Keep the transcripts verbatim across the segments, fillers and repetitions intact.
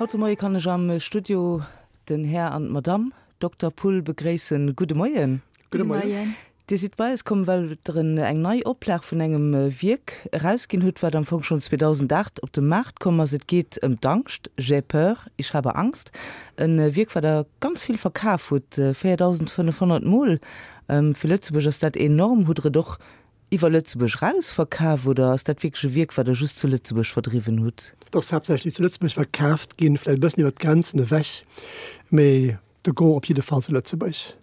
Haut de Moie kann ech am Studio den Här an d'Madamm Dokter Pull begréissen. Gudde Moien. Gudde Moien. Dir sidd bei eis komm, well Der eng nei Oplag vun engem Wierk erausginn hutt, wat am Fong schonn zweedausendacht op de Maart komm ass. Et geet ëm d'Angscht, J'ai peur, ich habe Angst. E Wierk, wat Der ganz vill verkaf hutt, véierdausendfënnefhonnert Mol. Fir Lëtzebuerg ass dat enorm. Hutt Der et och iwwer Lëtzebuerg raus verkaf oder ass dat wierklech e Wierk, wat Der just zu Lëtzebuerg verdriwwen hutt? Et ass haaptsächlech zu Lëtzebuerg verkaaft ginn, vläicht e bëssen iwwer d'Grenzen ewech, mee de Gros op jidde Fall zu Lëtzebuerg.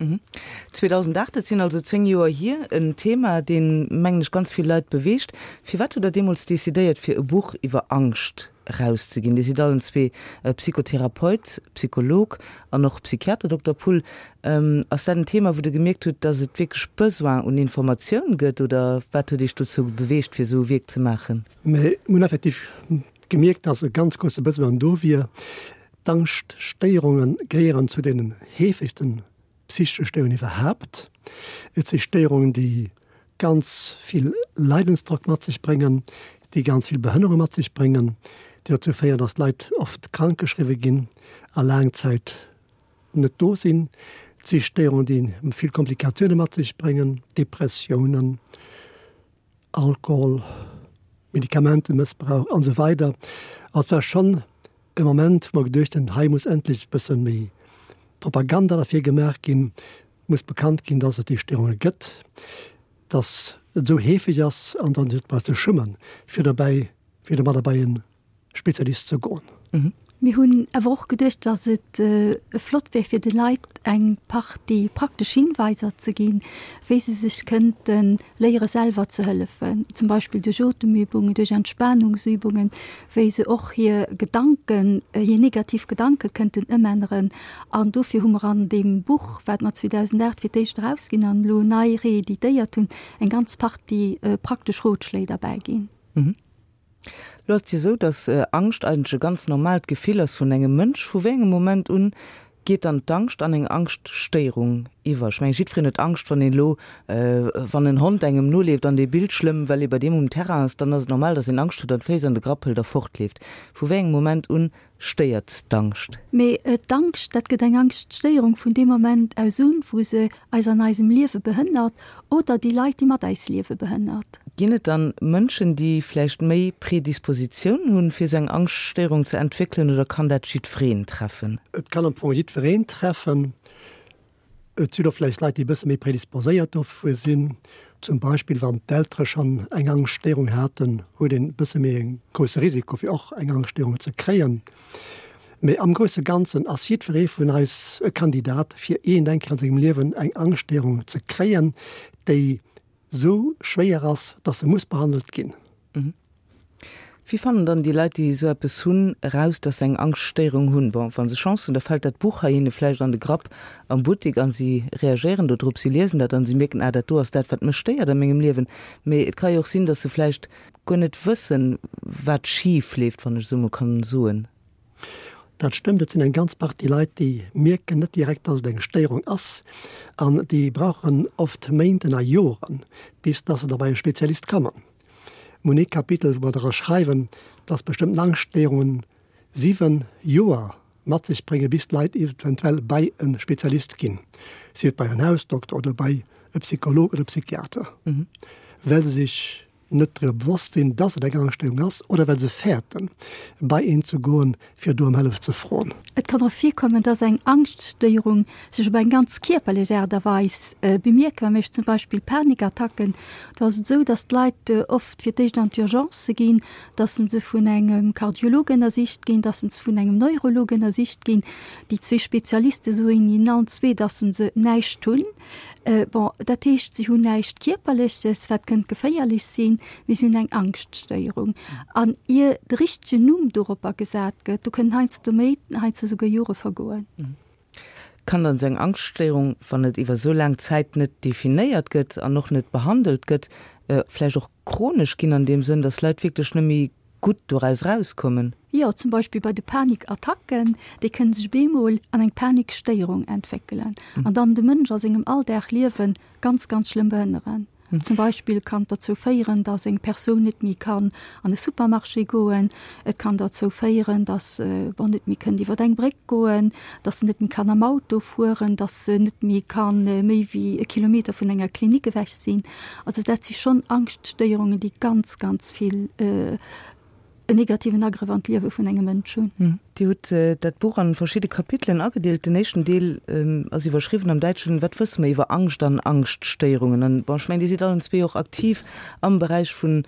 zweedausendacht, dat sinn also zéng Joer hier, en Thema, deen, mengen ech, ganz vill Leit beweegt. Firwat hutt Der deemools decidéiert, fir e Buch iwwer Angscht erauszeginn? Dir sidd allen zwee Psychotherapeut, Psycholog an och Psychiater, Dokter Pull. Ass dat en Thema, wou Der gemierkt hutt, dass et wierklech Besoin un Informatioun gëtt, oder wat huet Iech dozou beweegt, fir esou e Wierk ze maachen? Mir hunn effektiv gemierkt, dass e ganz grousse Besoin do wier. D'Angschtstéierunge gehéieren zu deenen heefegsten psychesche Stéierungen iwwerhaapt. Et si Stéierungen, déi ganz vill Leidensdrock mat sech bréngen, déi ganz vill Behënnerung mat sech bréngen, déi dozou féieren, dass d'Leit oft krankgeschriwwe ginn a laang Zäit net do sinn. Et si Stéierungen, déi vill Komplikatioune mat sech bréngen, Depressiounen, Alkohol, Medikamentemëssbrauch an esou weider. Also et war schonn e Moment, wou mer geduecht hunn, hei muss endlech e bësse méi Propaganda derfir gemaach ginn, muss bekannt ginn, dass et déi Stéierunge gëtt, dass et esou heefeg ass an dann sech net brauch ze schummen, fir derbäi, fir domadder bei e Spezialist ze goen. Mir hunn awer och geduecht, dass et flott wär, fir de Leit eng Partie praktesch Hinweiser ze ginn, wéi se sech kënnte léiere selwer ze hëllefen, zum Beispill duerch Otemübungen, duerch Entspanungsübungen, wéi se och hir Gedanken, hir negativ Gedanke kënnten ëmänneren. An dofir hu mer an deem Buch, wat mer zweedausendacht fir d'éischt erausginn an elo nei reeditéiert hunn, eng ganz Partie praktesch Rotschléi derbäi ginn. Lo ass et jo esou, dass Angscht eigentlech e ganz normaalt Gefill ass vun engem Mënsch. Vu wéi engem Moment un geet dann d'Angscht an eng Angschtstéierung iwwer? Ech mengen, jiddwereen huet Angscht, wann een elo, wann en Hond engem noleeft an dee billt schlëmm, well ee bei deem um Terrain ass, dann ass et normal, dass een Angscht huet an d'Féiss an de Grapp hëlt a fortleeft. Vu wéi engem Moment un stéiert d'Angscht? Mee d'Angscht, dat gëtt eng Angschtstéierung vun deem Moment aus un, wou se eis an eisem Liewe behënnert oder déi Leit, déi mat eis liewe, behënnert. Ginn et dann Mënschen, déi vläicht méi Predispositioun hunn, fir esou eng Angschtstéierung ze entwéckelen, oder kann dat jiddwereen treffen? Et kann am Fong jiddwereen treffen. Et sinn och vläicht Leit, déi e bësse méi predisposéiert dofir sinn. Zum Beispill wann d'Eltere schonn eng Angschtstéierung haten, huet een e bësse méi e grousse Risiko, fir och eng Angschtstéierung ze kréien. Mee am grousse Ganzen ass jiddweree vun eis e Kandidat, fir iergend eng Kéier an sengem Liewen eng Angschtstéierung ze kréien, déi sou schwéier ass, dass se muss behandelt ginn. Wéi fannen dann déi Leit, déi esou eppes hunn, eraus, dass se eng Angschtstéierung hunn? Bon, wa se Chance hunn, da fält dat Buch hei hinne vläicht an de Grapp am Buttek a si reagéieren do drop, si liesen dat an si mierken, ah, dat do ass dat, wat mech stéiert a mengem Liewen. Mee et ka jo och sinn, dass se vläicht guer net wëssen, wat schif leeft, wann ech esou emol kann soen. Dat stëmmt, et sinn eng ganz Partie Leit, déi mierken net direkt, dass et eng Stéierung ass an déi brauchen oft Méinten a Joren, bis dass se da bei e Spezialist kommen. Mir hunn ee Kapitel, wou mer dra schreiwen, dass bestëmmten Angschtstéierungen siwen Joer mat sech bréngen, bis d'Leit eventuell bei e Spezialist ginn, sief et bei en Hausdokter oder bei e Psycholog oder Psychiater, well se sech net driwwer bewosst sinn, dass et eng Angschtstörung ass, oder well se fäerten, bei een ze goen, fir do ëm Hëllef ze froen. Et kann och virkommen, dass eng Angschtstéierung sech op eng ganz kierperlech Aart a Weis bemierkbar mécht, zum Beispill Panikattacken. Do ass et esou, dass d'Leit oft fir d'éischt an d'Urgence ginn, dass se vun engem Kardiolog ënnersicht ginn, dass se vun engem Neurolog ënnersicht ginn. Déi zwee Spezialiste soen hinnen allen zwee, dass se näischt hunn. Bon, dat heescht, si hunn näischt Kierperleches, wat kënnt geféierlech sinn, mee si hunn eng Angschtstéierung. An ier de richtegen Numm doropper gesat gëtt, do kënnen heiansdo Méint, heiansdo souguer Jore vergoen. Kann dann esou eng Angschtstéierung, wann et iwwer esou laang Zäit net definéiert gëtt an och net behandelt gëtt, vläicht och chronesch ginn an deem Sënn, dass Leit wierklech net méi gutt doraus erauskommen? Jo, zum Beispill bei de Panikattacken, déi kënnen sech bemol an eng Panikstéierung entwéckelen an dann de Mënsch a sengem Alldagliewe ganz, ganz schlëmm behënneren. Zum Beispill kann et derzou féieren, dass eng Persoun net méi kann an e Supermarché goen. Et kann derzou féieren, dass se bon net méi kënnt iwwer eng Bréck goen, dass se net méi kann am Auto fueren, dass se net méi kann méi wéi e Kilometer vun enger Klinik ewech sinn. Also dat si schonn Angschtstéierungen, déi ganz, ganz vill en negativen Agrëff an d'Liewe vun engem Mënsch hunn. Dir hutt dat Buch an verschidde Kapitelen agedeelt. Den éischten Deel ass iwwerschriwwen am Däitschen Wat wësse mer iwwer Angscht an Angschtstéierungen? An bon, ech mengen, Dir sidd allen zwee och aktiv am Beräich vun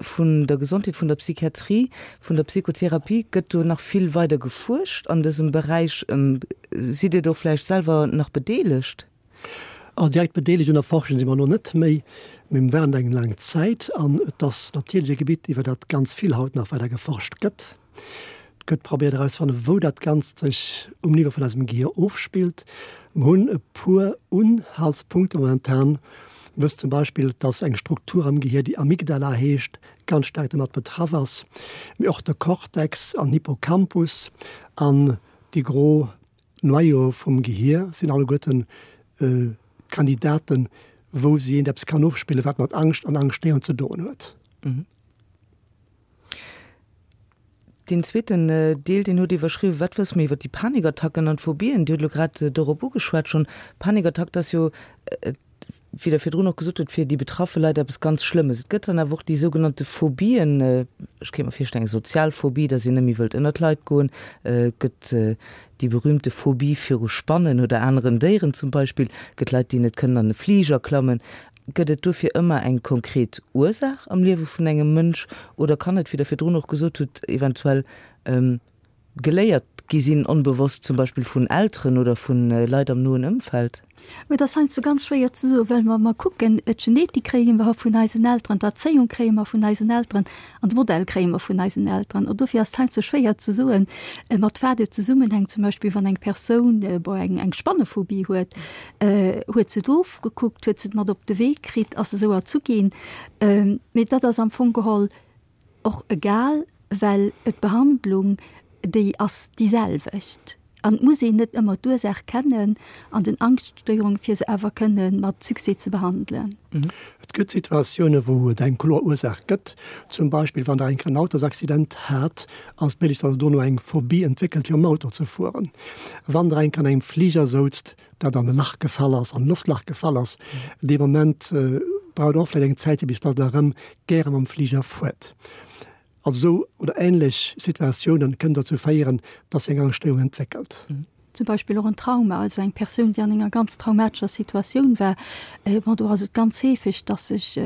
vun der Gesondheet, vun der Psychiatrie, vun der Psychotherapie. Gëtt do nach vill weider gefuerscht an dësem Beräich? Sidd Dir do vläicht selwer nach bedeelegt? Also direkt bedeelegt un der Forschung si mer elo net méi, mee mir waren et eng laang Zäit. An et ass natierlech e Gebitt, iwwer dat ganz vill haut nach weider geforscht gëtt. Et gëtt probéiert erauszefannen, wou dat Ganzt sech um Niveau vun eisem Gehier ofspillt. Mer hunn e puer Unhaltspunkte momentan. Mir wëssen zum Beispill, dass eng Struktur am Gehier, déi Amygdala heescht, ganz staark domat betraff ass, mee och de Cortex an Hippocampus an déi gro Noyau vum Gehier sinn alleguerten Kandidaten, wou si eent eppes kann ofspillen, wat mat Angscht an Angschtstéierung ze doen huet. Deen zweeten Deel, deen hutt iwwerschriwwen, Wat wësse mir iwwer déi Panikattacken an d'Phobien? Dir hutt elo grad dorop ugeschwat schonn. Panikattack, dat ass jo, wéi Der virdrun och gesot hutt, fir déi betraffe Leit eppes ganz Schlëmmes. Et gëtt dann awer och déi sougenannte Phobien, ech kéint mer virstellen, eng sozial Phobie, datt een net méi wëllt ënnert d'Leit goen. Et gëtt Déi berühmte Phobie viru Spannen oder aneren Déieren zum Beispill, gëtt Leit, déi net kënnen an e Fliger klammen. Gëtt et dofir ëmmer eng konkret Ursaach am Liewe vun engem Mënsch oder kann et, wéi Der virdrun och gesot hutt, eventuell geléiert gi sinn, onbewosst zum Beispill vun Elteren oder vu Leit am noen Ëmfeld? Mä et ass heiansdo ganz schwéier ze soen, well wa mer kucken, d'Genetik kréie mer vun eisen Elteren, d'Erzéiung kréie mer vun eisen Elteren an de Modell kréie mer vun eisen Elteren. An dofir ass et heiansdo schwéier ze soen, mat wat et zesummenhänkt. Zum Beispill wann eng Persoun, bon, eng, eng Spannephobie huet, huet se et ofgekuckt, huet se et mat op de Wee kritt, ass se esou erzu ginn. Mee dat ass am Fong geholl och egal, well d'Behandlung, déi ass déi selwecht. An et muss een net ëmmer d'Ursaach kennen an den Angschtstéierungen, fir se awer kënne mat Succès ze behandelen. Et gëtt Situatioune wou et eng kloer Ursaach gëtt. Zum Beispill wann Der eng Kéier en Autosaccident hat, ass et méiglech, datt Der dono eng Phobie entwéckelt fir mam Auto ze fueren. Wann Der eng Kéier an engem Fliger souzt, dat an e Lach gefall ass, an e Loftlach gefall ass, dee Moment braucht Der och vläicht eng Zäitche bis datt Der erëm gäre mam Fliger fuert. Also esou oder ähnlech Situatiounen kënnen dozou féieren, dass sech eng Angschtstéierung entwéckelt. Zum Beispill och en Trauma, also eng Persoun, déi an enger ganz traumatescher Situatioun war, bon, do ass et ganz heefeg, dass sech,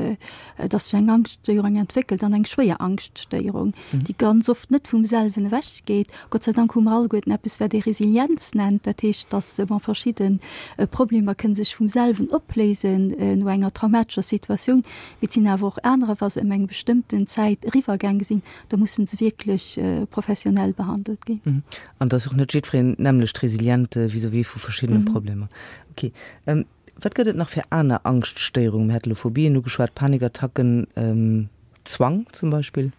dass sech eng Angschtstéierung entwéckelt an eng schwéier Angschtstéierung, déi ganz oft net vum selwen ewechgeet. Gott sei Dank hu mer alleguerten eppes, wat ee Resilienz nennt, dat heescht, dass, bon, verschidde Problemer kënne sech vum selwen opléisen no enger traumatescher Situatioun. Mee et sinn awer och anerer, wa se ëm eng bestëmmten Zäit eriwwergaange sinn, da musse se wierklech professionell behandelt ginn. An et ass och net jiddwereen d'nämmlecht resilient vis-à-vis vu verschiddene Problemer. Ok. Wat gëtt et nach fir aner Angschtstéierungen? Mir hate lo Phobien ugeschwat, Panikattacken, Zwang zum Beispill.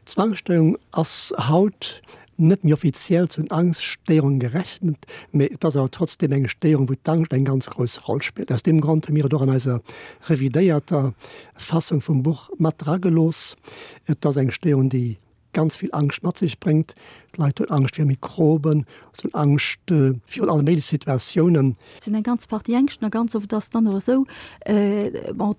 D'Zwangsstéierung ass haut net méi offiziell zu den Angschtstéierungen gerechent, mee et ass awer trotzdeem eng Stéierung, wou d'Angscht eng ganz grouss Roll spillt. Aus deem Grond hu mir et och an eiser revidéierter Fassung vum Buch mat dragelooss. Et ass eng Stéierung, déi ganz vill Angscht mat sech bréngt. D'Leit hunn Angscht vir Mikroben, se hunn Angscht virun alle méigleche Situatiounen. Et sinn eng ganz Partie Ängschten a ganz oft ass et dann och esou, bon,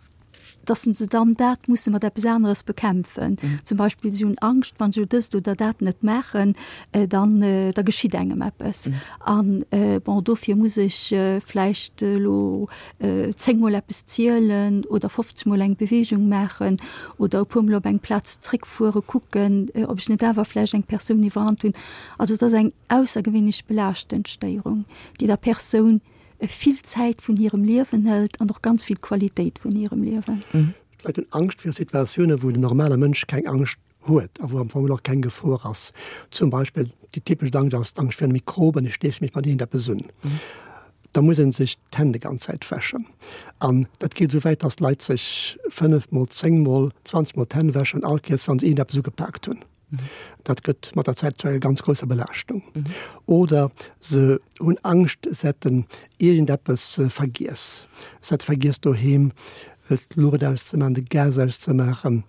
dass se dann dat musse mat eppes aneres bekämpfen. Zum Beispill si hunn Angscht, wann se elo dëst oder dat net maachen, dann da geschitt engem eppes. An bon, dofir muss ech vläicht elo zéngmol eppes zielen oder fofzegmol eng Beweegung maachen oder e puermol op eng Plaz zréckfuere kucken, ob ech net awer vläicht eng Persoun iwwerrannt hunn. Also et ass eng aussergewéinlech belaaschtend Stéierung, déi der Persoun vill Zäit vun hirem Liewen hëlt an och ganz vill Qualitéit vun hirem Liewen. D'Leit hunn Angscht viru Situatiounen, wou den normale Mënsch keng Angscht huet a wou am Fong och keng Gefor ass. Zum Beispill déi typesch Angscht ass d'Angscht virun Mikroben, ech steeche mech mat iergendeppes un. Da muss ee sech d'Hänn déi ganz Zäit wäschen. An dat geet esou wäit, datt d'Leit sech fënnef mol, zéng mol, zwanzeg mol d'Hänn wäschen, all Kéiers wa se iergendeppes ugepaakt hunn. Dat gëtt mat der Zäit zu enger ganz grousser Belaaschtung. Oder se hunn Angscht, se hätten iergendeppes vergiess. Se hätte vergiess doheem d'Luucht auszemaachen, de Gas auszemaachen,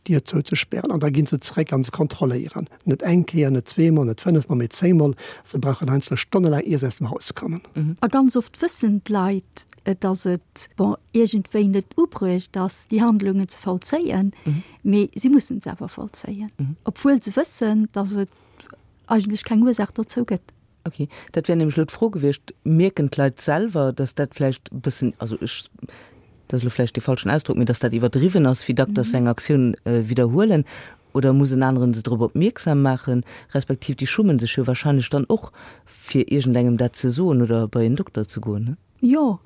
d'Dier zouzespären. An da ginn se zeréck an se kontrolléieren. Net eng Kéier, net zweemol, net fënnefmol, mee zéngmol. Se brauchen heiansdo stonnelaang, ier se aus dem Haus kommen. A ganz oft wëssen d'Leit, dass et, bon, iergendwéi net ubruecht ass, déi Handlungen ze vollzéien, mee si mussen se awer vollzéien, obwuel se wëssen, dass et eigentlech keng Ursaach dozou gëtt. Ok, dat wär nämlech elo d'Fro gewiescht, Mierken d'Leit selwer, dass dat vläicht e bëssen, also ech, dat ass elo vläicht dee falschen Ausdrock, mee dass dat iwwerdriwwen ass, wéi dack dass se eng Aktioun widderhuelen, oder muss en aneren se drop opmierksam maachen, respektiv déi schummen sech jo wahrscheinlech dann och, fir iergendengem dat ze soen oder bei en Dokter ze goen, ne? Jo,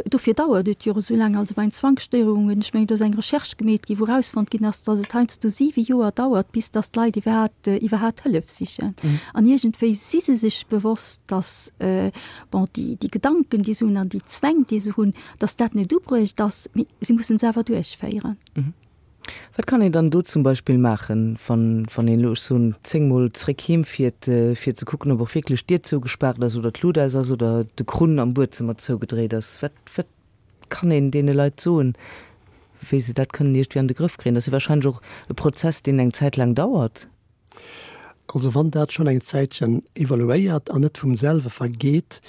dofir dauert et jo och esou laang. Also bei den Zwangsstéierungen, ech mengen, do ass eng Recherche gemeet ginn, wou erausfonnt ginn ass, datt et heiansdo siwe Joer dauert, bis datt d'Leit iwwerhaapt, iwwerhaapt Hëllef sichen. An iergendwéi si se sech bewosst, datt, bon, déi, déi Gedanken, déi se hunn an déi Zwäng, déi se hunn, datt dat net ubruecht ass, mee si mussen se awer duerchféieren. Wat kann een dann do zum Beispill maachen, wann, wann een elo, ech soen, zéngmol zréck heem fiert, fir ze kucken, ob och wierklech d'Dier zougespaart ass oder d'Lut aus ass oder de Krunn am Buedzëmmer zougedréit ass? Wat, wat kann een deene Leit soen, wéi se dat kënnen iergendwéi an de Grëff kréien? Dat ass jo wahrscheinlech och e Prozess, deen eng Zäit laang dauert. Also wann dat schonn eng Zäitchen evoluéiert an net vum selwe vergeet,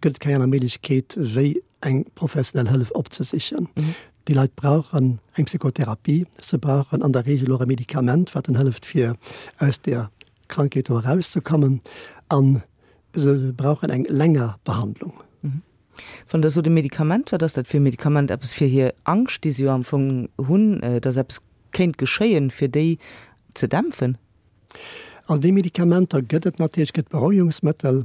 gëtt et keng aner Méiglechkeet, wéi eng professionell Hëllef opzesichen. Déi Leit brauchen eng Psychotherapie, se brauchen an der Regel och e Medikament, wat en hëlleft fir aus där Krankheet do erauszekommen, a se brauchen eng länger Behandlung. Wann Der sot e Medikament, wat ass dat fir e Medikament? Eppes fir hir Angscht, déi se jo am Fong hunn, dass eppes kéint geschéien, fir déi ze dämpfen? Also déi Medikamenter gëtt et natierlech, et gëtt Berouegungsmëttel,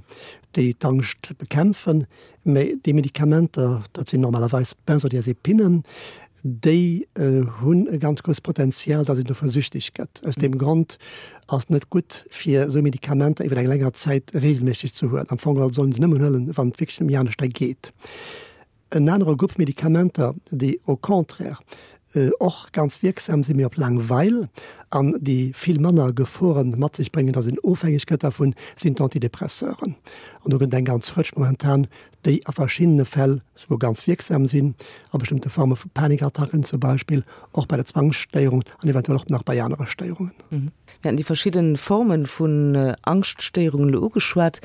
déi d'Angscht bekämpfen, mä déi Medikamenter, dat sinn normalerweis Benzodiazepinen, déi hunn e ganz grousst Potenzial, datt een dovun süchteg gëtt. Aus deem Grond ass et net gutt, fir esou Medikamenter iwwer eng länger Zäit reegelméisseg ze huelen. Am Fong geholl soll een se nëmmen huelen, wann et wierklech net méi aneschter geet. En anere Grupp Medikamenter, déi au contraire och ganz wierksam sinn, mee op laang Weil, an déi vill manner Gefore mat sech bréngen, datt een ofhängeg gëtt dervun, sinn d'Antidépresseuren. An do gëtt et eng ganz Rëtsch momentan, déi a verschiddene Fäll souguer ganz wierksam sinn, a bestëmmte Forme vu Panikattacken zum Beispill, och bei der Zwangsstéierung an eventuell och nach bei anere Stéierungen. Mir haten déi verschidde Forme vun Angschtstéierungen elo ugeschwat.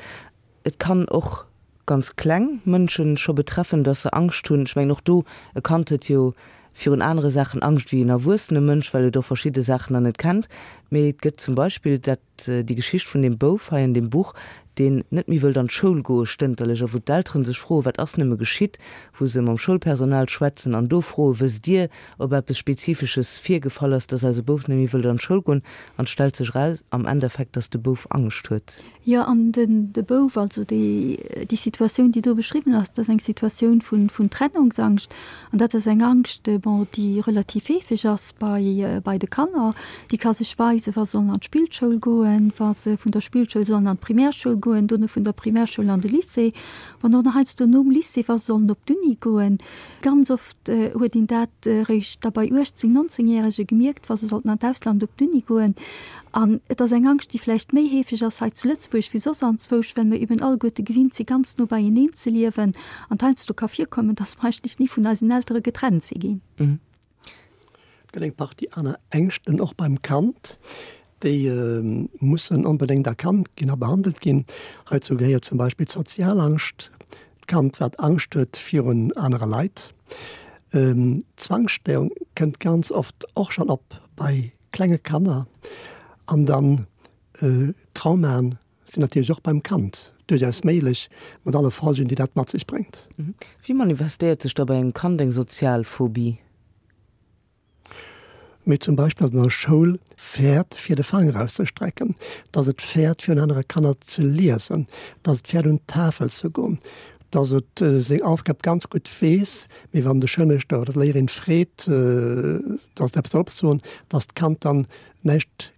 Et kann och ganz kleng Mënschen scho betreffen, dass se Angscht hunn. Ech mengen och do, e Kand huet jo virun anere Saachen Angscht wéi en erwuessene Mënsch, well et och verschidde Saachen nach net kennt. Mee et gëtt zum Beispill dat, déi Geschicht vun deem Bouf hei an deem Buch, deen net méi wëllt an d'Schoul goe stënterlech a wou d'Eltere sech froen, wat ass nëmme geschitt, wou se mam Schoulpersonal schwätzen an do froen, wësst Dir, ob eppes Spezifesches virgefall ass, dass eise Bouf net méi wëllt an d'Schoul goen? An et stellt sech eraus am Endeffekt, dass de Bouf Angscht huet. Jo, an den, de Bouf, also déi, déi Situatioun, déi do beschriwwen ass, dat ass eng Situatioun vun, vun Trennungsangscht. An dat ass eng Angscht, bon, déi relativ heefeg ass bei, bei de Kanner. Déi ka sech weisen, wa se sollen an d'Spillschoul goen, wa se vun der Spillschoul sollen an d'Primärschoul goen, dono vun der Primärschoul an de Lycée, wann och nach heiansdo nom Lycée, wa se sollen op d'Uni goen. Ganz oft huet een dat eréischt da bei uechtzéng-, nonzéngjärege gemierkt, wa se sollten an d'Ausland op d'Uni goen. An et ass eng Angscht, déi vläicht méi heefeg ass hei zu Lëtzebuerg wéi soss anzwousch, well mir eben alleguerte gewinnt si ganz no beieneen ze liewen an et heiansdo ka virkommen, dass mer eigentlech ni vun eisen Eltere getrennt si ginn. Et gëtt eng Partie aner Ängschten och beim Kand, déi mussen onbedéngt erkannt ginn a behandelt ginn. Heizou gehéiert zum Beispill d'Sozialangscht, d'Kand wat Angscht huet virun anere Leit. D'Zwangsstéierung kënnt ganz oft och schonn op bei klenge Kanner. An dann Traumaen sinn natierlech och beim Kand duerchaus méiglech, mat alle Folgen, déi dat mat sech bréngt. Wéi manifestéiert sech da bei engem Kand eng sozial Phobie? Mee zum Beispill, datt en an der Schoul fäert, fir de Fanger auszestrecken, datt et fäert, virun anere Kanner ze liesen, datt et fäert, un d'Tafel ze goen, datt et seng Aufgab ganz gutt weess, mee wann de Schoulmeeschter oder d'Léierin freet, datt et eppes soll opsoen, datt d'Kand dann näischt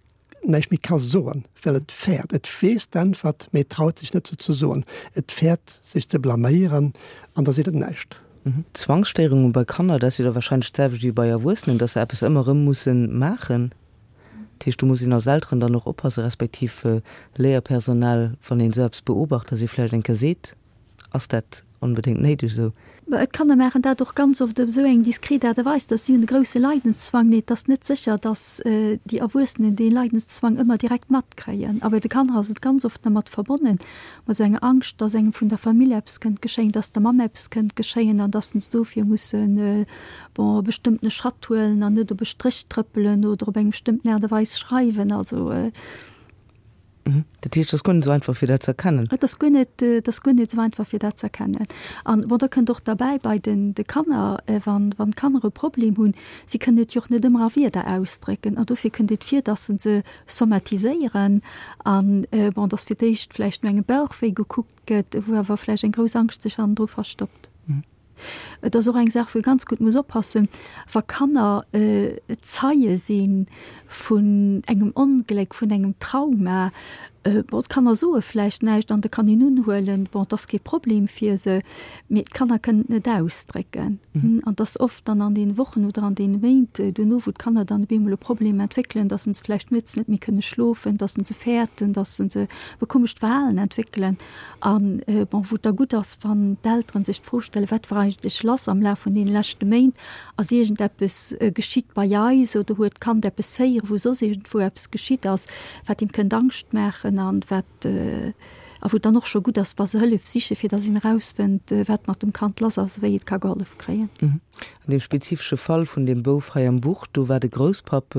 näischt méi ka soen, well et fäert. Et weess d'Äntwert, mee et traut sech net, se ze soen. Et fäert, sech ze blaméieren, an da seet et näischt. Zwangsstéierungen bei Kanner, dat ass jo da wahrscheinlech d'selwecht wéi bei Erwuessenen, dass se eppes ëmmer erëm musse maachen. Dat heescht, do muss een als Elteren dann och oppassen, respektiv Léierpersonal, wann een esou eppes beobacht, dass ee vläicht eng Kéier seet, Ass dat onbedéngt néideg esou. D'Kanner maachen dat och ganz oft op esou eng diskret Aart a Weis, dass si hunn e grousse Leidenszwang. Nee, et ass net sécher, dass déi Erwuessenen dee Leidenszwang ëmmer direkt matkréien. A bei de Kanner ass et ganz oft dermat verbonnen, mat esou enger Angscht, dass engem vun der Famill eppes kënnt geschéien, dass der Mamm eppes kënnt geschéien an dass se dofir mussen, bon, e bestëmmtene Schratt huelen an net op e Stréch trëppelen oder op eng bestëmmten Aart a Weis schreiwen. Also. Dat heescht, et ass guer net esou einfach, fir dat ze erkennen? Et ass guer net, et ass guer net esou einfach, fir dat ze erkennen. An, bon, da kënnt och derbäi bei den, de Kanner, wann, wann d'Kanner e Problem hunn, si kënnen et jo och net ëmmer a Wierder ausdrécken. An dofir kënnt et vir, dass se se somatiséieren an, bon, dass fir d'éischt vläicht no engem Bauchwéi gekuckt gëtt, wou awer vläicht eng grouss Angscht sech hannendru verstoppt. Et ass och eng Saach, wou ee ganz gutt muss oppassen, wa Kanner Zeie si vun engem Ongléck, vun engem Trauma. Bon, d'Kanner soe vläicht näischt an da kann een unhuelen, bon, et ass kee Problem fir se, mee d'Kanner kënnen et net ausdrécken. An et ass oft dann an deene Wochen oder an deene Méint duerno, wou d'Kanner dann op eemol e Problem entwéckelen, dass se vläicht nuets net méi kënne schlofen, dass se fäerten, dass se e komescht Verhalen entwéckelen. An, bon, wou et da gutt ass, wann d'Elteren sech d'Fro stellen, Wat war eigentlech lass am Laf vun deene leschte Méint? Ass iergendeppes geschitt bei eis oder huet d'Kand eppes héieren, wou soss iergendwou eppes geschitt ass, wat him kënnt Angscht maachen an wat, a wou et dann och scho gutt ass, wa se Hëllef sichen, fir dass een erausfënnt, wat mat dem Kand lass ass a wéi et ka gehollef kréien. An deem spezifesche Fall vun deem Bouf hei am Buch, do war de Grousspapp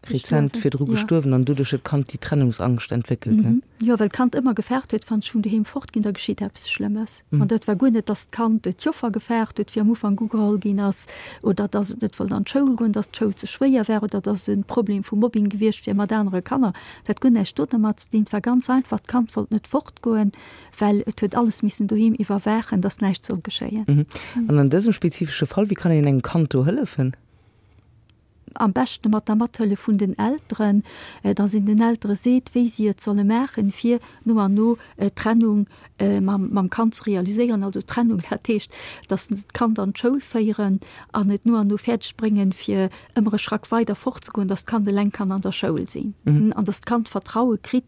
rezent virdru gestuerwen an doduerch huet d'Kand déi Trennungsangscht entwéckelt, ne? Jo, well d'Kand ëmmer gefaart huet, wann ech vun doheem fort ginn, da geschitt eppes Schlëmmes. An dat war guer net, dass d'Kand d'Joffer gefaart huet, wéi am Ufank ugeholl ginn ass, oder dass et net wollt an d'Schoul goen, dass d'Schoul ze schwéier war oder dass e Problem vu Mobbing gewiescht wier mat anere Kanner. Dat hat guer näischt dodermat ze dinn. Et war ganz einfach, d'Kand wollt net fortgoen, well et huet alles missen doheem iwwerwaachen, dass näischt soll geschéien. An an dësem spezifesche Fall, wéi kann een engem Kand do hëllefen? Am beschte mat der Mathëllef vun den Elteren, dass een den Eltere seet, wéi si et solle maachen, fir no an no d'Trennung mam Kand ze realiséieren. Also d'Trennung, dat heescht, dass se d'Kand an d'Schoul féieren an et no an no fäerdeg bréngen, fir ëmmer e Schrack weider fortzegoen, dass d'Kand eleng kann an der Schoul sinn an dass d'Kand Vertraue kritt,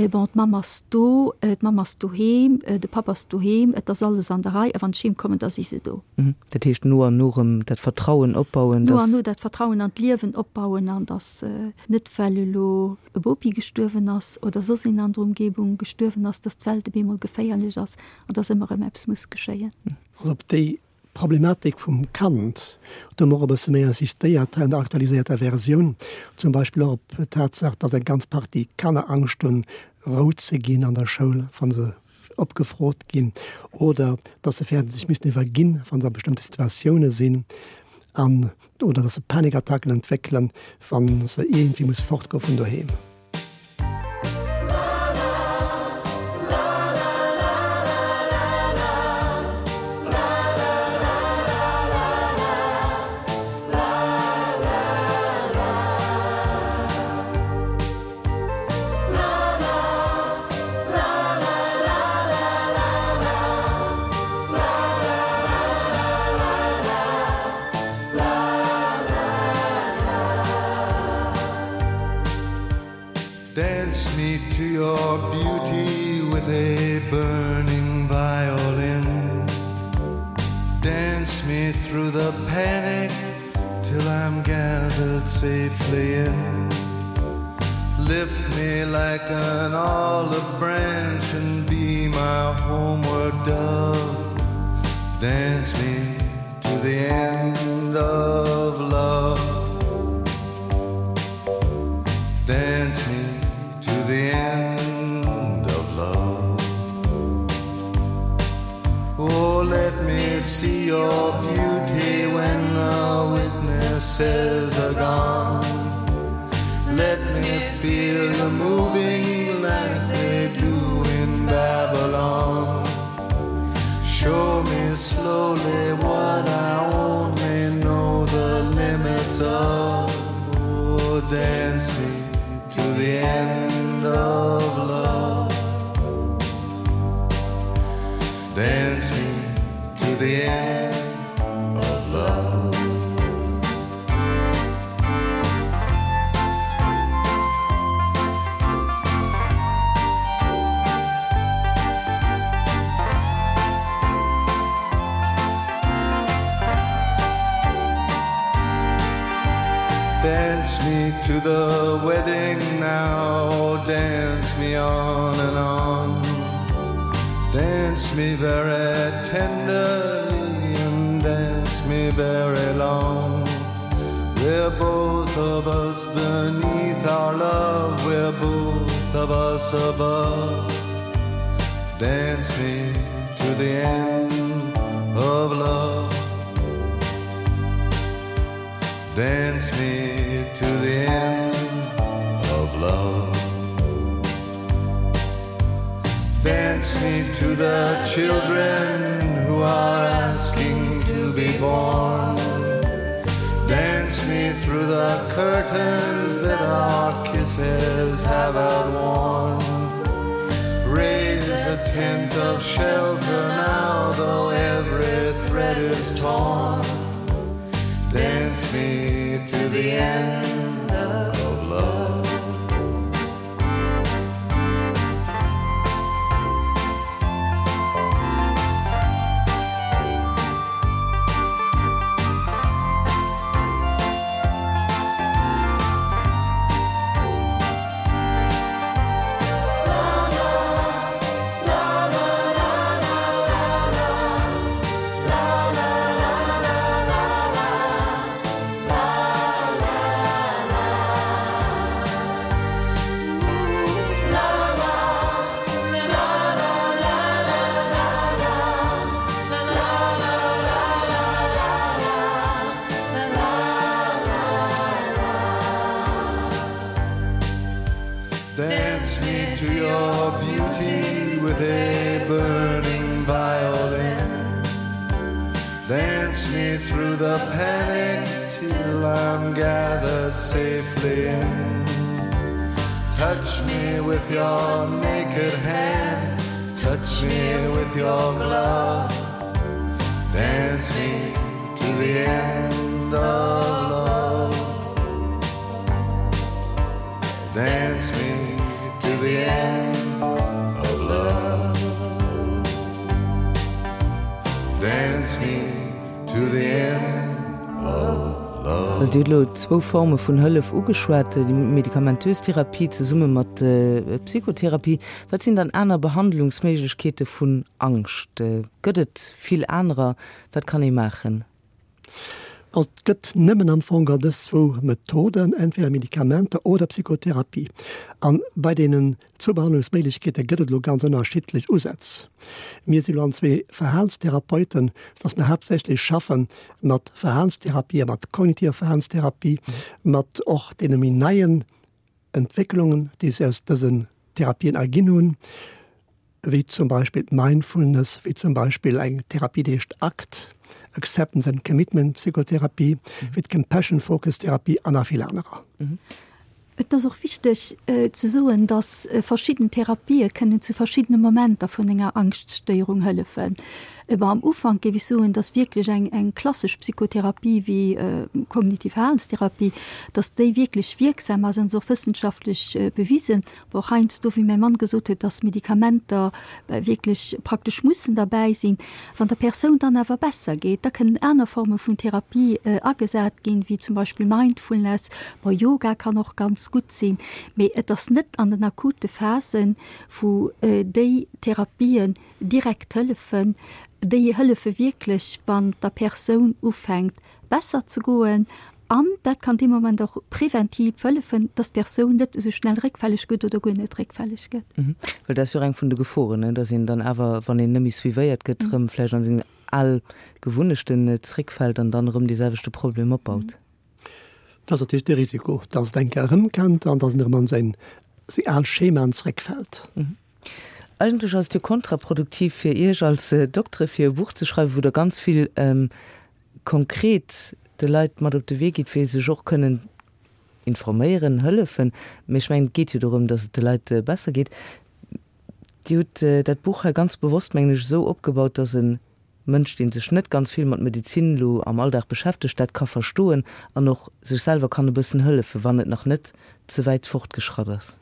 bon, d'Mamm ass do, d'Mamm ass doheem, de Papp ass doheem, et ass alles an der Rei a wann ech heemkommen, da si se do. Dat heescht no an no erëm dat Vertrauen opbauen, dass. No an no dat Vertrauen an d'Liewen opbauen an dass net well elo e Bopi gestuerwen ass oder soss een an der Umgebung gestuerwen ass, dass d'Welt op eemol geféierlech ass an dass ëmmer erëm eppes muss geschéien. Also op déi Problematik vum Kand do hu mer och e bësse méi insistéiert hei an der aktualiséierter Versioun, zum Beispill och op d'Tatsaach, dass eng ganz Partie Kanner Angscht hunn, rout ze ginn an der Schoul, wa se opgefrot ginn oder dass se fäerten, sech missten iwwerginn, wa se a bestëmmte Situatioune sinn an oder dass se Panikattacken entwéckelen, wa se iergendwéi muss fortgoe vun doheem. Dance me to your beauty with a burning violin Dance me through the panic till I'm gathered safely in Lift me like an olive branch and be my homeward dove Dance me to the end of love Dance me to the end of love Oh let me see your beauty when the witnesses are gone Let me feel the moving like they do in Babylon Show me slowly what I only know the limits of Oh dance me to the end of love Dance me to the end of love Dance me to the wedding now, dance me on and on. Dance me very tenderly and dance me very long. We're both of us beneath our love, we're both of us above. Dance me to the end of love. Dance me to the end of love. Dance me to the children who are asking to be born. Dance me through the curtains that our kisses have outworn. Raise a tent of shelter now, though every thread is torn. Dance me to the end of love. Dance me to your beauty with a burning violin. Dance me through the panic till I'm gathered safely in. Touch me with your naked hand, touch me with your glove. Dance me to the end of love. Dance me to the end of love. Dance me to the end of love. Also Dir hutt elo zwou Forme vun Hëllef ugeschwat, déi medikamentös Therapie zesumme mat Psychotherapie. Wat sinn dann aner Behandlungsméiglechkeete vun Angscht? Gëtt et vill anerer? Wat kann ee maachen? Et gëtt nëmmen am Fong dës zwou Methoden, entweder Medikamenter oder Psychotherapie. An bei deenen zwou Behandlungsméiglechkeete gëtt et elo ganz ënnerschiddlech Usätz. Mir si elo an zwee Verhalenstherapeuten, sodass mir haaptsächlech schaffe mat Verhalenstherapie a mat kognitiver Verhalenstherapie, mat och deene méi neien Entwécklungen, déi sech aus dësen Therapien erginn hunn, wéi zum Beispill d'Mindfulness, wéi zum Beispill eng Therapie, déi heescht ACT, Acceptance and Commitment Psychotherapie, wéi d'Compassion Focus Therapie an nach vill anerer. Et ass och wichteg ze soen, dass verschidden Therapië kënnen zu verschiddene Momenter vun enger Angschtstéierung hëllefen. Awer am Ufank géif ech soen, dass wierklech eng eng klassesch Psychotherapie wéi kognitiv Verhalenstherapie, dass déi wierklech wierksam ass an ass och wëssenschaftlech bewisen. Awer och heiansdo, wéi mäi Mann gesot huet, dass Medikamenter wierklech praktesch mussen derbäi sinn. Wann der Persoun dann awer besser geet, da kënnen aner Forme vun Therapie agesat ginn, wéi zum Beispill Mindfulness, bon Yoga kann och ganz gutt sinn. Mee et ass net an den akute Phasen, wou déi Therapien direkt hëllefen. Déi hëllefe wierklech, wann der Persoun ufänkt besser ze goen an dat kann dee Moment och preventiv hëllefen, dass d'Persoun net esou schnell réckfälleg gëtt oder guer net réckfälleg gëtt. Well dat ass jo och eng vun de Geforen, ne, dass een dann awer, wann een net méi suivéiert gëtt, erëm vläicht an seng al Gewunnechten zréckfält an dann erëm dee selwechte Problem opbaut. Dat ass natierlech de Risiko, dass et eng Kéier erëmkennt an dass en erëm an seng al Schemaen zréckfält. Eigentlech ass et jo kontraproduktiv fir Iech als Doktere fir e Buch ze schreiwen, wou Der ganz vill konkret de Leit mat op de Wee gitt, wéi se sech och kënnen informéieren, hëllefen. Mee ech mengen, et geet jo dorëm, datt et de Leit besser geet. Dir hutt dat Buch hei ganz bewosst, mengen ech, esou opgebaut, datt e Mënsch, dee sech net ganz vill mat Medezin elo am Alldag beschäftegt, dat ka verstoen an och sech selwer kann e bëssen hëllefen, wann et nach net ze wäit fortgeschratt ass.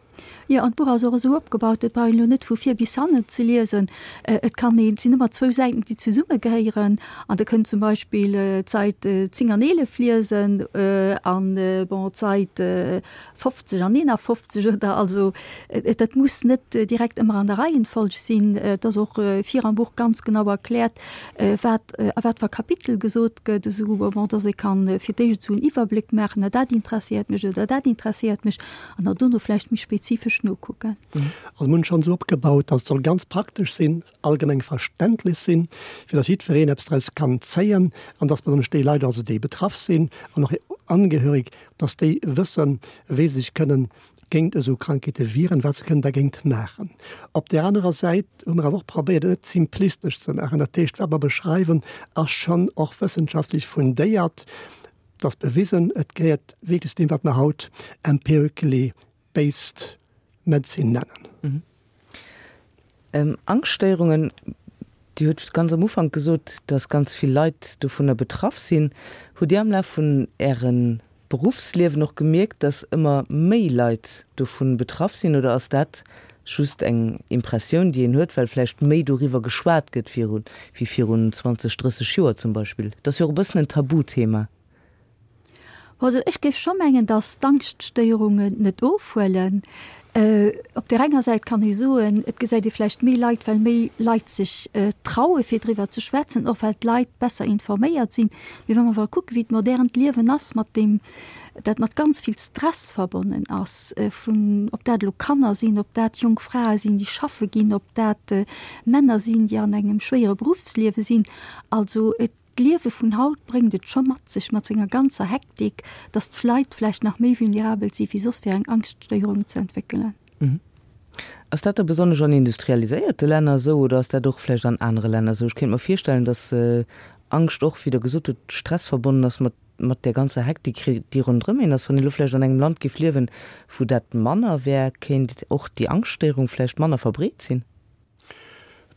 Jo, an d'Buch ass och esou opgebaut, et brauch een elo net vu vir bis hannen ze liesen. Et kann een, et sinn ëmmer zwou Säiten, déi zesummegehéieren, an Der kënnt zum Beispill d'Sait zéng an eelef liesen an, bon, d'Sait fofzeg an eenafofzeg oder, also dat muss net direkt ëmmer an der Reihenfolg sinn. Et ass och vir am Buch ganz genau erkläert, wat a wat fir Kapitel gesot gëtt, esou, bon, dass ee kann fir d'éischt esou en Iwwerbléck maachen, dat interesséiert mech oder dat interesséiert mech, an dann dono vläicht méi spezifesch nokucken. Also mir hunn schonn esou opgebaut, dass et soll ganz praktesch sinn, allgemeng verständlech sinn, fir dass jiddwereen eppes draus kann zéien an dass besonnesch déi Leit also, déi betraff sinn an och hir Angehörig, dass déi wëssen, wéi se sech kënnen géint esou Krankheete wieren, wat se kënnen dergéint maachen. Op där anerer Säit hu mer awer och probéiert, et net simplistesch ze maachen. Dat heescht, wat mer beschreiwen, ass schonn och wëssenschaftlech fundéiert. Et ass bewisen, et gehéiert wierklech zu deem, wat mer haut empirically based medicine nennen. Angschtstéierungen, Dir hutt ganz am Ufank gesot, dass ganz vill Leit dovunner betraff sinn. Hutt Dir am Laf vun Ären Beruffsliewen och gemierkt, dass ëmmer méi Leit dovun betraff sinn, oder ass dat just eng Impressioun, déi een huet, well vläicht méi doriwwer geschwat gëtt wéi virun zwanzeg, drësseg Joer zum Beispill? Et ass jo och e bëssen en Tabuthema. Also ech géif scho mengen, datt d'Angschtstéierungen net ofhuelen. Op där enger Säit kann ee soen, et gesäit ee vläicht méi Leit, well méi Leit sech traue fir driwwer ze schwätzen, och well d'Leit besser informéiert sinn. Mee wa mer awer kucken, wéi d'modernt Liewen ass, mat deem dat mat ganz vill Stress verbonnen ass, vun ob dat elo Kanner sinn, ob dat jonk Frae sinn, déi schaffe ginn, ob dat Männer sinn, déi an engem schwéiere Beruffsliewe sinn, also et D'Liewe vun haut bréngt et scho mat sech, mat senger ganzer Hektik, dass d'Leit vläicht nach méi vulnerabel si wéi soss fir eng Angschtstéierung ze entwéckelen. Ass dat da besonnesch an industrialiséierte Länner esou oder ass dat och vläicht an anere Länner esou? Ech kéint mer virstellen, dass Angscht och, wéi Der gesot hutt, Stress verbonnen ass mat mat där ganzer Hektik, déi ronderëm een ass. Wann een elo vläicht an engem Land géif liewen, wou dat manner wär, kéint och déi Angschtstéierung vläicht manner verbreet sinn.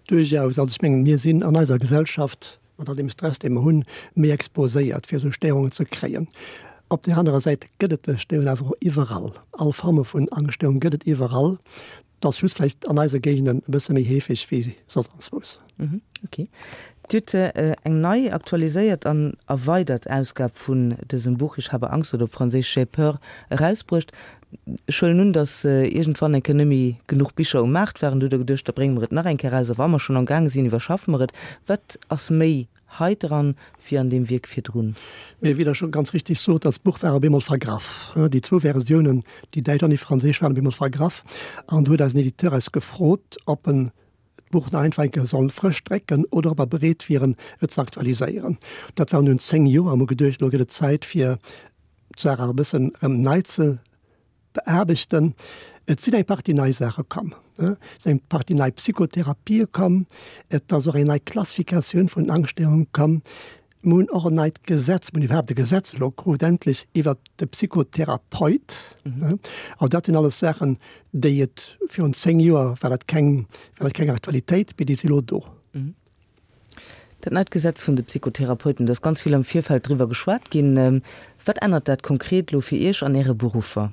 Duerchaus. Also ech mengen, mir sinn an eiser Gesellschaft mat all deem Stress, dee mer hunn, méi exposéiert, fir esou Stéierungen ze kréien. Op där anerer Säit gëtt et dës Stéierungen awer och iwwerall. All Forme vun Angschtstéierung gëtt et iwwerall. Et ass just vläicht an eise Géigenden e bësse méi heefeg wéi soss anzwous. Okay. Dir hutt eng nei, aktualiséiert an erweidert Ausgab vun dësem Buch Ich habe Angst oder op Franséisch J'ai peur erausbruecht. Ech huelen un, datt iergendwann eng Kéier net méi genuch Bicher um Maart waren. Du hutt Der geduecht, da brénge mer et nach eng Kéier eraus a wa mer schonn am gaange sinn, iwwerschaffe mer et. Wat ass méi hei dran wéi an deem Wierk virdrun? Mee wéi Der scho ganz richtig sot, dat Buch war op eemol vergraff. Déi zwou Versiounen, déi däitsch an déi franséisch, waren op eemol vergraff. An du huet eisen Editeur eis gefrot, ob en d'Buch nach einfach eng Kéier soll frësch drécken oder ob mer bereet wieren, et ze aktualiséieren. Dat waren dunn zéng Joer a mer hu geduecht, elo gëtt et Zäit, fir d'Saach awer e bëssen erëm nei ze beaarbechten. Et sinn eng Partie nei Saache komm. Et sinn eng Partie nei Psychotherapië komm. Et ass och eng nei Klassifikatioun vun Angschtstéierunge komm. Mir hunn och en neit Gesetz, mir hunn iwwerhaapt e Gesetz elo krut, endlech, iwwert de Psychotherapeut. Also dat sinn alles Saachen, déi et virun zéng Joer war dat keng, war dat keng Aktualitéit, mee déi si elo do. Dat neit Gesetz vun de Psychotherapeuten, do ass ganz vill am Virfeld driwwer geschwat ginn. Wat ännert dat konkret elo fir Iech an Äre Beruffer?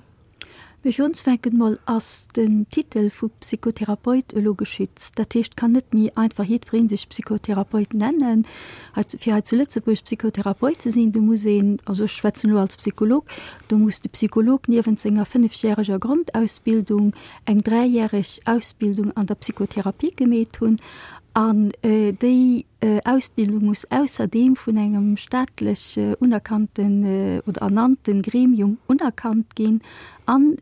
Mee fir ons fänken mol ass den Titel vu Psychotherapeut elo geschützt. Dat heescht, kann net méi einfach jiddweree sech Psychotherapeut nennen. Hei fir hei zu Lëtzebuerg Psychotherapeut ze sinn, do muss een, also ech schwätzen elo als Psycholog, do muss de Psycholog niewent senger fënnefjäreger Grondausbildung eng dräijäreg Ausbildung an der Psychotherapie gemeet hunn. An déi Ausbildung muss ausserdeem vun engem staatlech unerkannten oder ernannte Gremium unerkannt ginn. An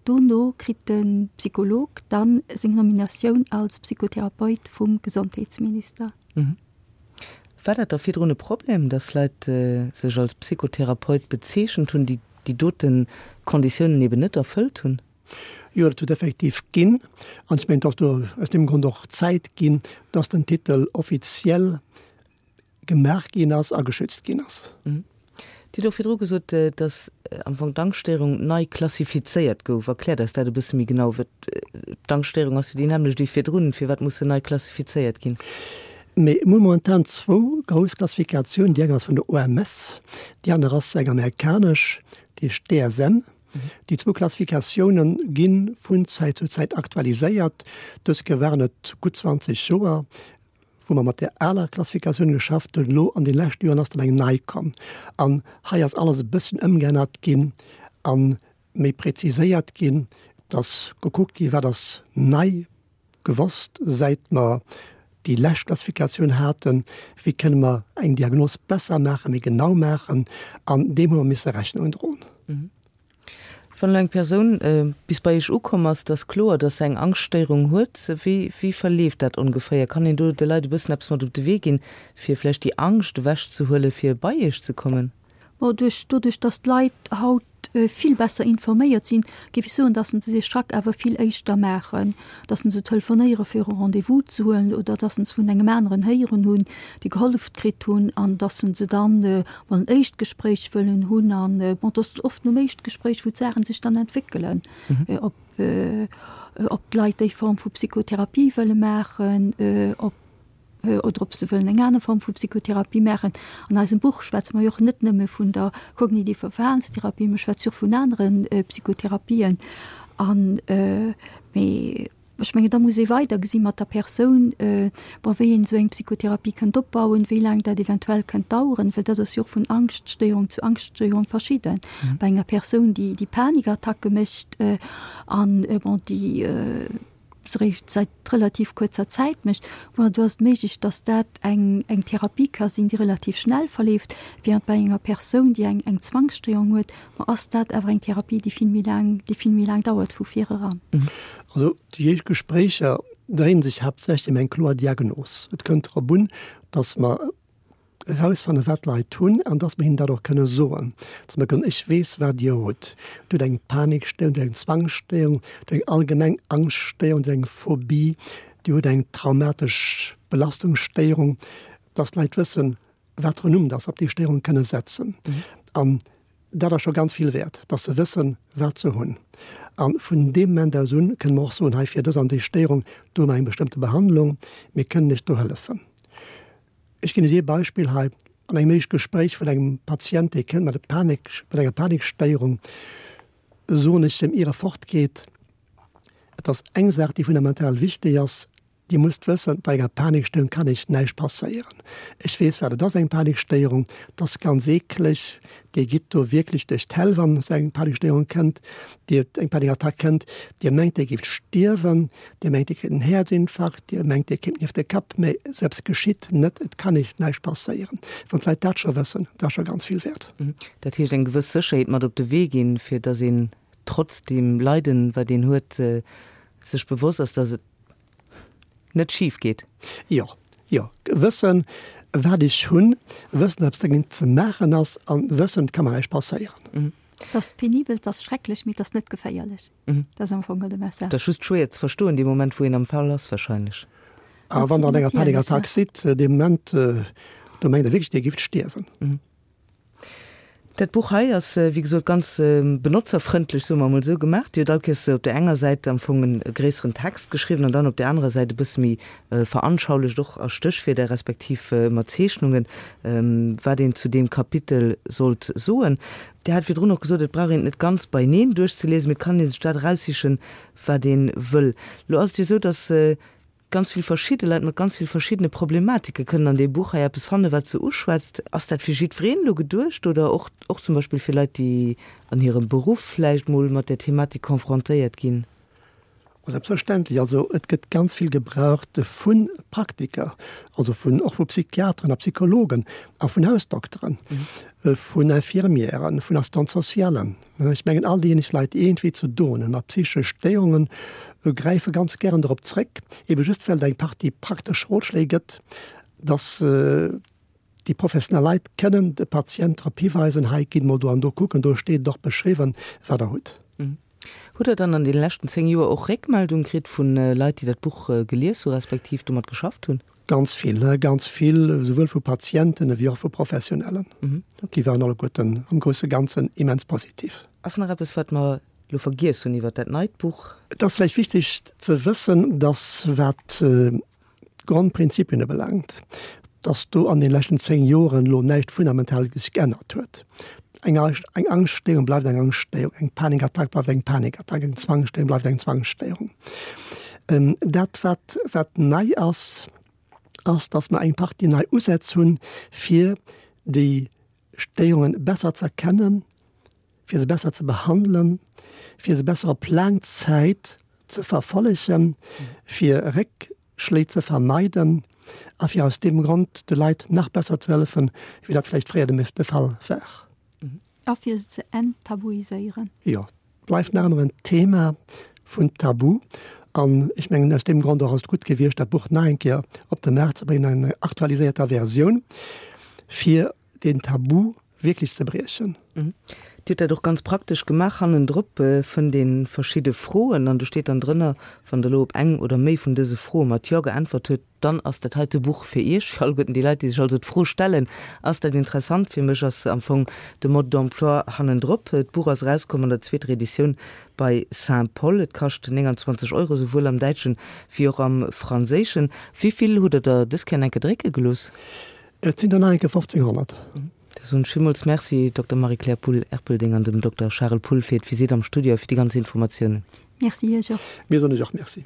dono kritt de Psycholog dann seng Nominatioun als Psychotherapeut vum Gesondheetsminister. War dat da virdrun e Problem, dass Leit sech als Psychotherapeut bezeechent hunn, déi déi dote Konditiounen eben net erfëllt hunn? Jo, dat huet effektiv ginn. An ech mengen, et ass do aus deem Grond och Zäit ginn, dass den Titel offiziell gemaach ginn ass a geschützt ginn ass. Dir hutt och virdru gesot, dass am Fong d'Angschtstéierung nei klassifizéiert gouf. Erkläert eis dat e bësse méi genau. D'Angschtstéierung ass jo déi nämmlecht wéi virdrun. Firwat muss se nei klassifizéiert ginn? Mee mir hu momentan zwou grouss Klassifikatiounen. Déi eng ass vun der O M S, déi aner ass eng amerikanesch, déi heescht D S M. Déi zwou Klassifikatioune gi vun Zäit zu Zäit aktualiséiert. Dës Kéier waren et gutt zwanzeg Joer, wou mer mat där aler Klassifikatioun geschafft hunn. Elo an de leschte Joren ass dann eng nei komm. An hei ass alles e bësschen ëmgeännert ginn a méi präziséiert ginn. Et ass gekuckt ginn, wat ass nei gewosst, säit mer déi lescht Klassifikatioun haten, wéi kënne mer eng Diagnos besser maachen, méi genau maachen. An deem hu mer misse Rechnung droen. Wann elo eng Persoun bis bei Iech ukomm ass, et ass kloer, dass se eng Angschtstéierung huet, wéi wéi verleeft dat ongeféier? Kann een do de Leit e bëssen eppes mat op de Wee ginn, fir vläicht déi Angscht ewechzehuelen, fir bei Iech ze kommen? Bon, duerch doduerch, dass d'Leit haut vill besser informéiert sinn, géif ech soen, dass se dee Schrack awer vill éischter maachen, dass se telefonéiere fir e Rendez-vous ze huelen oder dass se vun engem aneren héieren hunn, déi gehollef kritt hunn an dass se dann mol en éischt Gespréich wëllen hunn. An bon, et ass oft nom éischt Gespréich, wou d'Saache sech dann entwéckelen, ob ob d'Leit déi Form vu Psychotherapie wëlle maachen, ob oder ob se wëllen eng aner Form vu Psychotherapie maachen. An eisem Buch schwätze mer jo och net nëmme vun der kognitiver Verhalenstherapie, mer schwätze jo och vun anere Psychotherapien. An, mee ech mengen, da muss ee weider gesi mat der Persoun, bon, wéi een esou eng Psychotherapie kënnt opbauen, wéi laang dat eventuell kënnt daueren, well dat ass jo och vun Angschtstéierung zu Angschtstéierung verschidden. Bei enger Persoun, déi déi Panikattacke mécht an, bon, déi, se réischt säit relativ kuerzer Zäit mécht, bon, do ass et méiglech, dass dat eng eng Therapie ka sinn, déi relativ schnell verleeft, während bei enger Persoun, déi eng eng Zwangsstéierung huet, bon, ass dat awer eng Therapie, déi vill méi laang, déi vill méi laang dauert vu vir eran. Also déi éischt Gespréicher dréinen sech haaptsächlech ëm eng kloer Diagnos. Et kënnt drop un, dass mer erausfannen, wat d'Leit hunn an dass mer hinnen dat och kënne soen, dass mer kënnen, ech weess, wat Dir hutt, Dir hutt eng Panikstéierung, Dir hutt eng Zwangsstéierung, Dir hutt eng allgemeng Angschtstéierung, Dir hutt eng Phobie, Dir hutt eng traumatesch Belastungsstéierung, dass d'Leit wëssen, wat fir en Numm dass se op déi Stéierung kënne setzen. An dat ass scho ganz vill wäert, dass se wëssen, wat se hunn. A vun deem Moment aus un kënne mer och soen, hei fir dës an déi Stéierung, do hu mer eng bestëmmte Behandlung, mir kënnen lech do hëllefen. Ech ginn lech ee Beispill hei, An engem éischt Gespréich vun engem Patient, dee kënnt mat e Panik, mat enger Panikstéierung, soen ech em, ier e fortgeet, Et ass eng Saach, déi fundamental wichteg ass, Dir musst wëssen, bei enger Panikstéierung kann Iech näischt passéieren. Ech weess, wat et ass, eng Panikstéierung. Et ass ganz eekleg. Dir gitt do wierklech duerch d'Häll, wann esou eng Panikstéierung kënnt, Dir, eng Panikattack kënnt. Dir mengt, Dir géift stierwen. Dir mengt, Dir kritt en Häerzinfarkt. Dir mengt, Dir kéimt nieft de Kapp. Mä esou eppes geschitt net. Et kann Iech näischt passéieren. Wann d'Leit dat scho wëssen, dat ass scho ganz vill wäert. Dat heescht, eng gewëss Sécherheet mat op de Wee ginn, fir datt een trotz deem Leiden, wat een huet, sech bewosst ass, datt et net schif geet. Jo, jo. Wëssen, wat ech hunn, wëssen, wat dergéint ze maachen ass an wëssen, et ka mer näischt passéieren. Et ass penibel, et ass schrecklech, mee et ass net geféierlech. Dat ass am Fong de Message. Et ass just schwéier ze verstoen, dee Moment, wou een am Fall ass wahrscheinlech. A wann Der an enger Panikattack sidd, dee Moment, do mengt Der wierklech, Dir gift stierwen. Dat Buch hei ass, wéi gesot, ganz benotzerfrëndlech, soe mer emol esou, gemaach. Dir hutt all Kéiers op där enger Säit am Fong e gréisseren Text geschriwwen an dann op där anerer Säit e bësse méi veranschaulecht, och a Stéchwierder respektiv mat Zeechnungen, wat een zu deem Kapitel sollt soen. Dir hat virdrun och gesot, et brauch een et net ganz beieneen duerchzeliesen, mee et kann ee sech dat eraussichen, wat ee wëll. Lo ass et jo esou, datt Ganz vill verschidde Leit mat ganz vill verschiddene Problematike kënnen an deem Buch hei eppes fannen, wat se uschwätzt. Ass dat fir jiddwereen elo geduecht oder och och zum Beispill fir Leit, déi an hirem Beruff vläicht mol mat där Thematik confrontéiert ginn? Selbstverständlech. Also et gëtt ganz vill gebraucht vu Praktiker, also vun och vu Psychiateren a Psychologen a vun Hausdokteren, vun Infirmièren, vun Assistants socialen. Ech mengen, all déijéineg Leit, déi iergendwéi ze doen hunn mat psychesche Stéierungen, gräife ganz gären dorop zréck, ebe just well et eng Partie praktesch Rotschléi gëtt, dass déi professionell Leit kënnen de Patient drop hiweisen, hei, gitt mol do an do kucken, do steet et och beschriwwen, wat Der hutt. Hutt Der dann an deene leschten zéng Joer och Réckmeldung kritt vu Leit, déi dat Buch gelies hu respektiv domat geschafft hunn? Ganz vill, ganz vill, esouwuel vu Patienten ewéi och vu Professionellen. Déi waren alleguerten am grousse Ganzen immens positiv. Ass nach eppes, wat mer elo vergiess hunn iwwer dat neit Buch? Et ass vläicht wichteg ze wëssen, dass, wat d'Grondprinzipien ubelaangt, dass do an de leschten zéng Joren elo näischt Fundamentales geännert huet. Eng eng Angschtstéierung bleift eng Angschtstéierung, eng Panikattack bleift eng Panikattack, eng Zwangsstéierung bleift eng Zwangsstéierung. Dat wat wat nei ass, ass, datt mer eng Partie nei Usätz hunn, fir déi Stéierungen besser ze erkennen, fir se besser ze behandelen, fir se besser op laang Zäit ze verfollegen, fir Réckschléi ze vermeiden a fir aus deem Grond de Leit nach besser ze hëllefen, wéi dat vläicht fréier de Fall war. A fir se ze enttabuiséieren. Jo, et bleift nach ëmmer en Thema vun Tabu. An ech mengen, aus deem Grond och ass et gutt gewiescht, dat Buch nach eng Kéier op de Maart ze bréngen an enger aktualiséierter Versioun, fir deen Tabu wierklech ze briechen. Dir hutt dat och ganz praktesch gemaach, hannendrop fënnt ee verschidde Froen an do steet dann drënner, wann Der elo op eng oder méi vun dëse Froe mat Jo geäntwert hutt, dann ass dat heite Buch fir Iech. Fir alleguerten déi Leit, déi sech also d'Fro stellen, Ass dat interessant fir mech, ass am Fong de Mode d'emploi hannendrop. D'Buch ass erauskomm an der zweeter Editioun bei Saint-Paul. Et kascht nénganzwanzeg Euro, souwuel am Däitschen wéi och am Franséischen. Wéi vill hutt Der der dës Kéier enke drécke gelooss? Et sinn der nach enke fofzénghonnert. Da soen ech villmools Merci, Dokter Marie-Claire Poull-Erpelding an dem Dokter Charel Poull fir d'Visitt am Studio a fir déi ganz Informatiounen. Merci Iech och. Mir soen Iech och Merci.